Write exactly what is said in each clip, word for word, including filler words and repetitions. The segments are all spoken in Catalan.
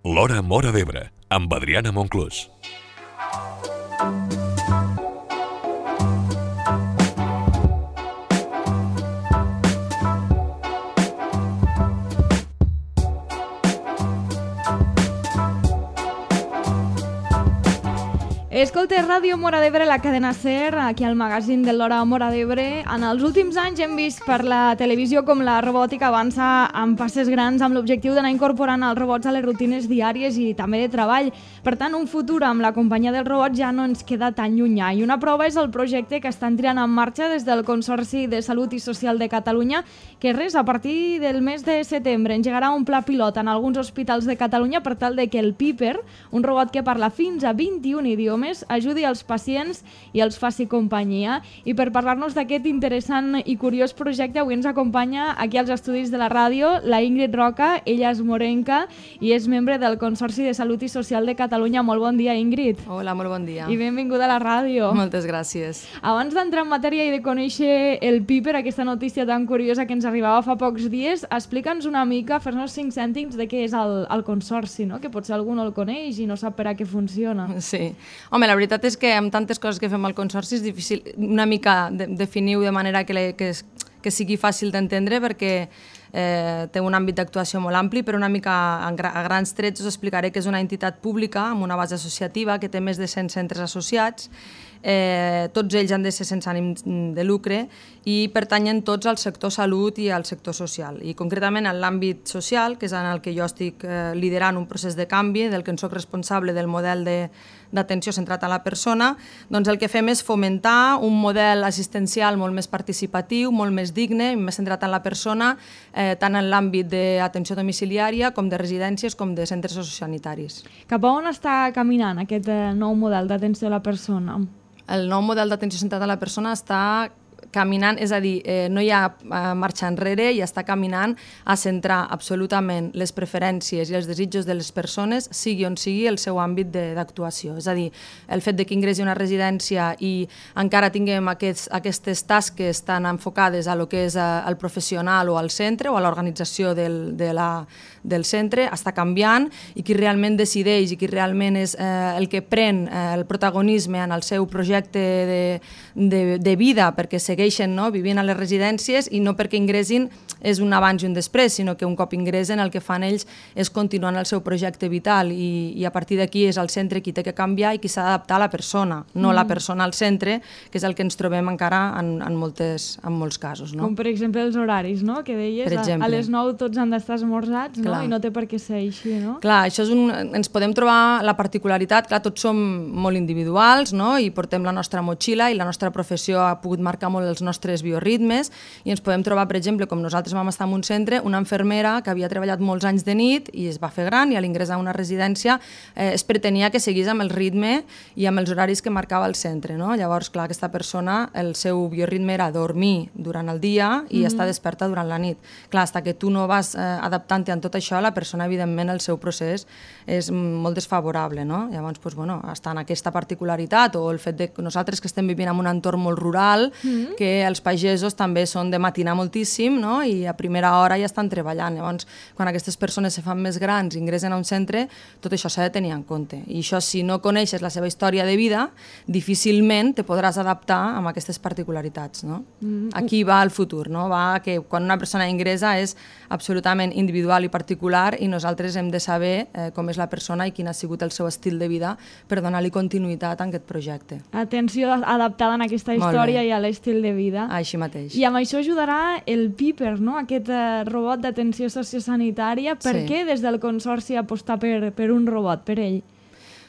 L'Hora Móra d'Ebre, amb Adriana Monclús. Escolta, Ràdio Móra d'Ebre, la cadena SER, aquí al magazín de l'Hora Móra d'Ebre. En els últims anys hem vist per la televisió com la robòtica avança amb passes grans amb l'objectiu d'anar incorporant els robots a les rutines diàries i també de treball. Per tant, un futur amb la companyia dels robots ja no ens queda tan llunyà. I una prova és el projecte que estan tirant en marxa des del Consorci de Salut i Social de Catalunya, que res, a partir del mes de setembre engegarà un pla pilot en alguns hospitals de Catalunya per tal de que el Piper, un robot que parla fins a vint-i-un idiomes, ajudi als pacients i els faci companyia. I per parlar-nos d'aquest interessant i curiós projecte, avui ens acompanya aquí als estudis de la ràdio la Ingrid Roca. Ella és morenca i és membre del Consorci de Salut i Social de Catalunya. Molt bon dia, Ingrid. Hola, molt bon dia. I benvinguda a la ràdio. Moltes gràcies. Abans d'entrar en matèria i de conèixer el Piper, aquesta notícia tan curiosa que ens arribava fa pocs dies, explica'ns una mica, fes-nos cinc cèntims de què és el, el Consorci, no? Que potser algú no el coneix i no sap per a què funciona. Sí. Home, la veritat és que amb tantes coses que fem al Consorci és difícil una mica de, definir-ho de manera que, le, que, es, que sigui fàcil d'entendre, perquè eh, té un àmbit d'actuació molt ampli, però una mica a, a grans trets us explicaré que és una entitat pública amb una base associativa que té més de cent centres associats. Eh, tots ells han de ser sense ànim de lucre i pertanyen tots al sector salut i al sector social. I concretament en l'àmbit social, que és en el que jo estic eh, liderant un procés de canvi, del que en soc responsable del model d'atenció centrat a la persona, doncs el que fem és fomentar un model assistencial molt més participatiu, molt més digne i més centrat en la persona, eh, tant en l'àmbit d'atenció domiciliària com de residències com de centres sociosanitaris. Cap a on està caminant aquest eh, nou model d'atenció a la persona? El nou model d'atenció centrada a la persona està caminant, és a dir, eh, no hi ha eh, marxa enrere i està caminant a centrar absolutament les preferències i els desitjos de les persones, sigui on sigui el seu àmbit d'actuació. És a dir, el fet de que ingressi a una residència i encara tinguem aquests, aquestes tasques tan enfocades a lo que és eh, el professional o al centre o a l'organització del, de la, del centre, està canviant, i qui realment decideix i qui realment és eh, el que pren eh, el protagonisme en el seu projecte de, de, de vida, perquè segueix no? vivint a les residències, i no perquè ingressin és un abans i un després, sinó que un cop ingressen el que fan ells és continuar el seu projecte vital, i, i a partir d'aquí és el centre qui té que canviar i qui s'ha d'adaptar a la persona, no mm. la persona al centre, que és el que ens trobem encara en, en, moltes, en molts casos. No? Com per exemple els horaris, no? Que deies, a, a les nou tots han d'estar esmorzats, no? I no té per què ser així, no? Clar, això és un, ens podem trobar la particularitat, clar, tots som molt individuals, no? I portem la nostra motxilla i la nostra professió ha pogut marcar molt els nostres bioritmes, i ens podem trobar, per exemple, com nosaltres vam estar en un centre, una infermera que havia treballat molts anys de nit i es va fer gran, i a l'ingressar a una residència eh, es pretenia que seguís amb el ritme i amb els horaris que marcava el centre, no? Llavors, clar, aquesta persona, el seu bioritme era dormir durant el dia i mm-hmm. estar desperta durant la nit. Clar, fins que tu no vas eh, adaptant-te en tot això, la persona, evidentment, el seu procés és molt desfavorable, no? Llavors, doncs, bueno, està en aquesta particularitat, o el fet de que nosaltres que estem vivint en un entorn molt rural, mm-hmm. que els pagesos també són de matinar moltíssim, no? I a primera hora ja estan treballant. Llavors, quan aquestes persones se fan més grans i ingressen a un centre, tot això s'ha de tenir en compte. I això, si no coneixes la seva història de vida, difícilment te podràs adaptar amb aquestes particularitats, no? Mm. Aquí va el futur, no? Va que quan una persona ingressa és absolutament individual i particular, i nosaltres hem de saber eh, com és la persona i quin ha sigut el seu estil de vida per donar-li continuïtat a aquest projecte. Atenció adaptada en aquesta història i a l'estil de vida. Així mateix. I amb això ajudarà el Piper, no? Aquest eh, robot d'atenció sociosanitària. Per sí. què des del Consorci apostar per, per un robot, per ell?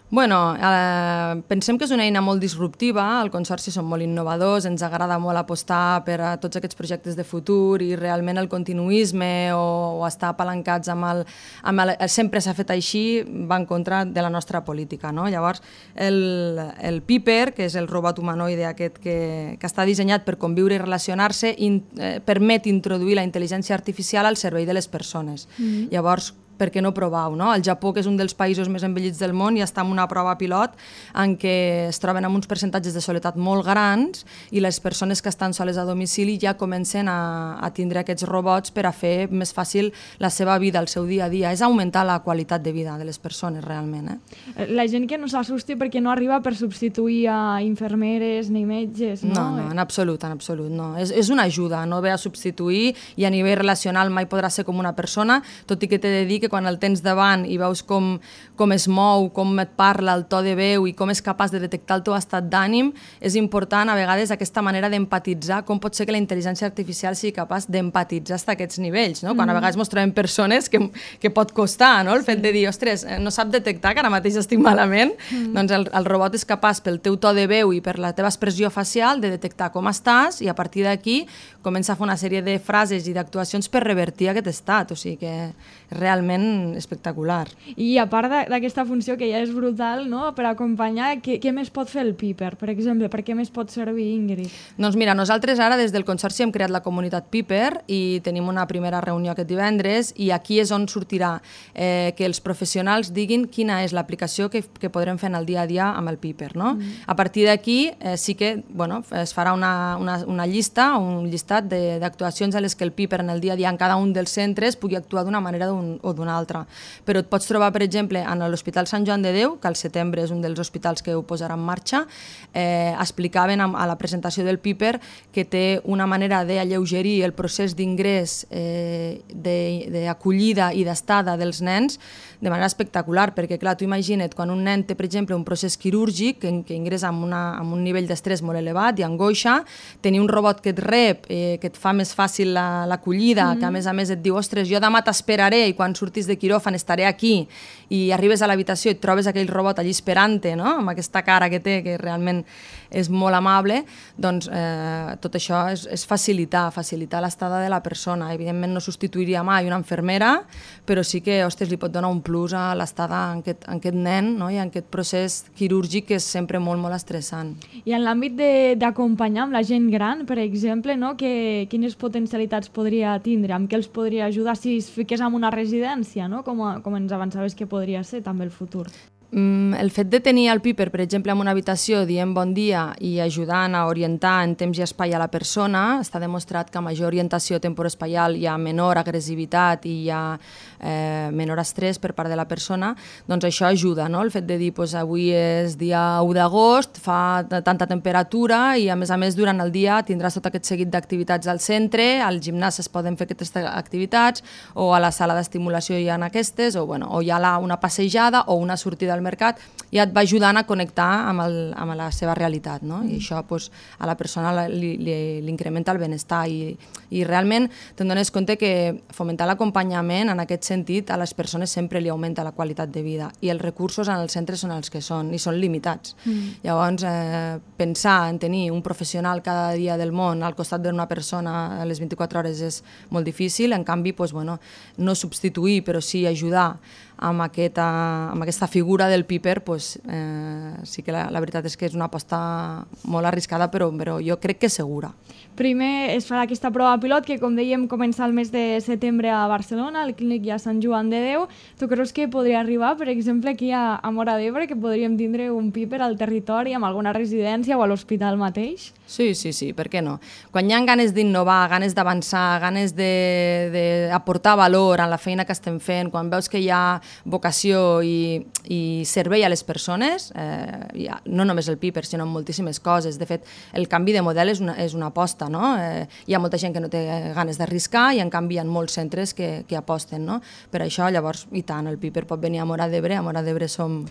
Bueno, eh, pensem que és una eina molt disruptiva, al Consorci som molt innovadors, ens agrada molt apostar per a tots aquests projectes de futur, i realment el continuisme o, o estar apalancats amb el... Amb el sempre s'ha fet així, va en contra de la nostra política, no? Llavors, el, el Piper, que és el robot humanoide aquest que, que està dissenyat per conviure i relacionar-se, in, eh, permet introduir la intel·ligència artificial al servei de les persones. Mm-hmm. Llavors, per què no provar-ho, no? El Japó, que és un dels països més envellits del món, ja està en una prova pilot en què es troben amb uns percentatges de soledat molt grans i les persones que estan soles a domicili ja comencen a, a tindre aquests robots per a fer més fàcil la seva vida, el seu dia a dia. És augmentar la qualitat de vida de les persones, realment. Eh? La gent que no s'assusti perquè no arriba per substituir a infermeres ni metges, no? No, no, en absolut, en absolut, no. És, és una ajuda, no ve a substituir i a nivell relacional mai podrà ser com una persona, tot i que t'he de dir que quan el tens davant i veus com, com es mou, com et parla, el to de veu i com és capaç de detectar el teu estat d'ànim, és important a vegades aquesta manera d'empatitzar, com pot ser que la intel·ligència artificial sigui capaç d'empatitzar fins a aquests nivells, no? Quan a vegades ens trobem persones que, que pot costar, no? El fet de dir, ostres, no sap detectar que ara mateix estic malament, mm. doncs el, el robot és capaç pel teu to de veu i per la teva expressió facial de detectar com estàs i a partir d'aquí comença a fer una sèrie de frases i d'actuacions per revertir aquest estat, o sigui que és realment espectacular. I a part d'aquesta funció que ja és brutal, no?, per acompanyar, què, què més pot fer el Piper, per exemple? Per què més pot servir, Ingrid? Doncs mira, nosaltres ara des del Consorci hem creat la comunitat Piper i tenim una primera reunió aquest divendres i aquí és on sortirà eh, que els professionals diguin quina és l'aplicació que, que podrem fer en el dia a dia amb el Piper, no? Mm. A partir d'aquí eh, sí que bueno, es farà una, una, una llista, un llistat d'actuacions a les que el Piper en el dia a dia en cada un dels centres pugui actuar d'una manera un, o d'una altra. Però et pots trobar, per exemple, en l'Hospital Sant Joan de Déu, que al setembre és un dels hospitals que ho posarà en marxa, eh, explicaven a, a la presentació del Piper que té una manera d'alleugerir el procés d'ingrés, eh, d'acollida i d'estada dels nens de manera espectacular, perquè clar, tu imagina't quan un nen té, per exemple, un procés quirúrgic que, que ingressa amb, una, amb un nivell d'estrès molt elevat i angoixa, tenir un robot que et rep, eh, que et fa més fàcil l'acollida, la, mm. que a més a més et diu, ostres, jo demà t'esperaré i quan surtis de quiròfan estaré aquí, i arribes a l'habitació i et trobes aquell robot allí esperant-te, no?, amb aquesta cara que té, que realment és molt amable, doncs eh, tot això és, és facilitar, facilitar l'estada de la persona. Evidentment no substituiria mai una infermera, però sí que, ostres, li pot donar un plus a l'estada en, aquest, en aquest nen, no?, i en aquest procés quirúrgic que és sempre molt, molt estressant. I en l'àmbit d'acompanyar amb la gent gran, per exemple, no?, que, quines potencialitats podria tindre, amb què els podria ajudar si es fiqués en una residència, no?, com, a, com ens avançaves que podria ser també el futur. El fet de tenir el Piper, per exemple, en una habitació dient bon dia i ajudant a orientar en temps i espai a la persona, està demostrat que a major orientació temporespacial hi ha menor agressivitat i hi ha eh, menor estrès per part de la persona, doncs això ajuda, no? El fet de dir, pues, avui és dia u d'agost, fa tanta temperatura i a més a més durant el dia tindràs tot aquest seguit d'activitats al centre, al gimnàs es poden fer aquestes activitats o a la sala d'estimulació hi ha aquestes, o, bueno, o hi ha la, una passejada o una sortida al mercat, ja et va ajudant a connectar amb, el, amb la seva realitat, no? I això pues, a la persona li, li, li incrementa el benestar i, i realment te'n dones compte que fomentar l'acompanyament en aquest sentit a les persones sempre li augmenta la qualitat de vida i els recursos en els centres són els que són i són limitats. Mm. Llavors, eh, pensar en tenir un professional cada dia del món al costat d'una persona a les vint-i-quatre hores és molt difícil, en canvi, pues, bueno, no substituir però sí ajudar amb, aquesta, amb aquesta figura del Piper, pues, eh, sí que la, la veritat és que és una aposta molt arriscada, però, però jo crec que segura. Primer es farà aquesta prova pilot que, com dèiem, comença el mes de setembre a Barcelona, al Clínic i a Sant Joan de Déu. Tu creus que podria arribar, per exemple, aquí a, a Móra d'Ebre, que podríem tindre un Piper al territori, amb alguna residència o a l'hospital mateix? Sí, sí, sí, per què no? Quan hi ha ganes d'innovar, ganes d'avançar, ganes d'aportar valor a la feina que estem fent, quan veus que hi ha vocació i, i servei a les persones, eh, ha, no només el Piper, sinó moltíssimes coses. De fet, el canvi de model és una, és una aposta, no? Eh, hi ha molta gent que no té ganes d'arriscar i en canvi hi ha molts centres que, que aposten, no? Per això, llavors, i tant, el Piper pot venir a Móra d'Ebre, a Móra d'Ebre som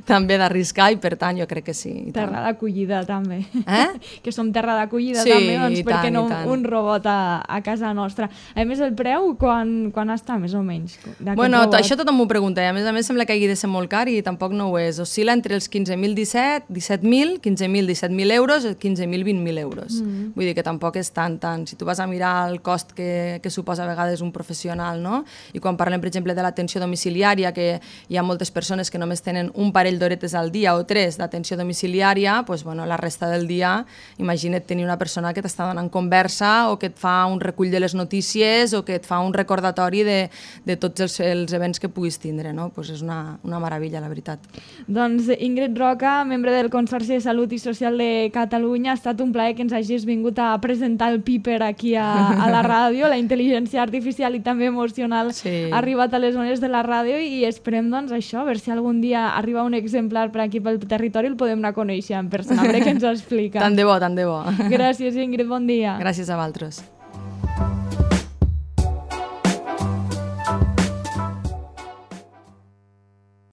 també d'arriscar i per tant jo crec que sí. Terra d'acollida també. Eh? Que som terra d'acollida sí, també, doncs per què no un robot a, a casa nostra. A més, el preu, quan, quan està més o menys? Bueno, robot? Això això tothom m'ho pregunta i a més a més sembla que hagi de ser molt car i tampoc no ho és. Oscil·la entre els quinze mil disset, disset mil, quinze mil, disset mil euros i quinze mil, vint mil euros. Mm. Vull dir que tampoc és tant, tant. Si tu vas a mirar el cost que, que suposa a vegades un professional, no? I quan parlem, per exemple, de l'atenció domiciliària, que hi ha moltes persones que només tenen un parell d'horetes al dia o tres d'atenció domiciliària, doncs, bueno, la resta del dia, imagina't tenir una persona que t'està donant conversa o que et fa un recull de les notícies o que et fa un recordatori de, de tots els, els events que puguis tindre, no? Pues és una, una meravella, la veritat. Doncs Ingrid Roca, membre del Consorci de Salut i Social de Catalunya, ha estat un plaer que ens hagis vingut a presentar el Piper aquí a, a la ràdio, la intel·ligència artificial i també emocional sí. ha arribat a les zones de la ràdio i esperem doncs això, a veure si algun dia arriba un exemplar per aquí pel territori el podem anar a conèixer en persona, a veure què ens explica. Tant de bo, tant de bo. Gràcies Ingrid, bon dia. Gràcies a vosaltres.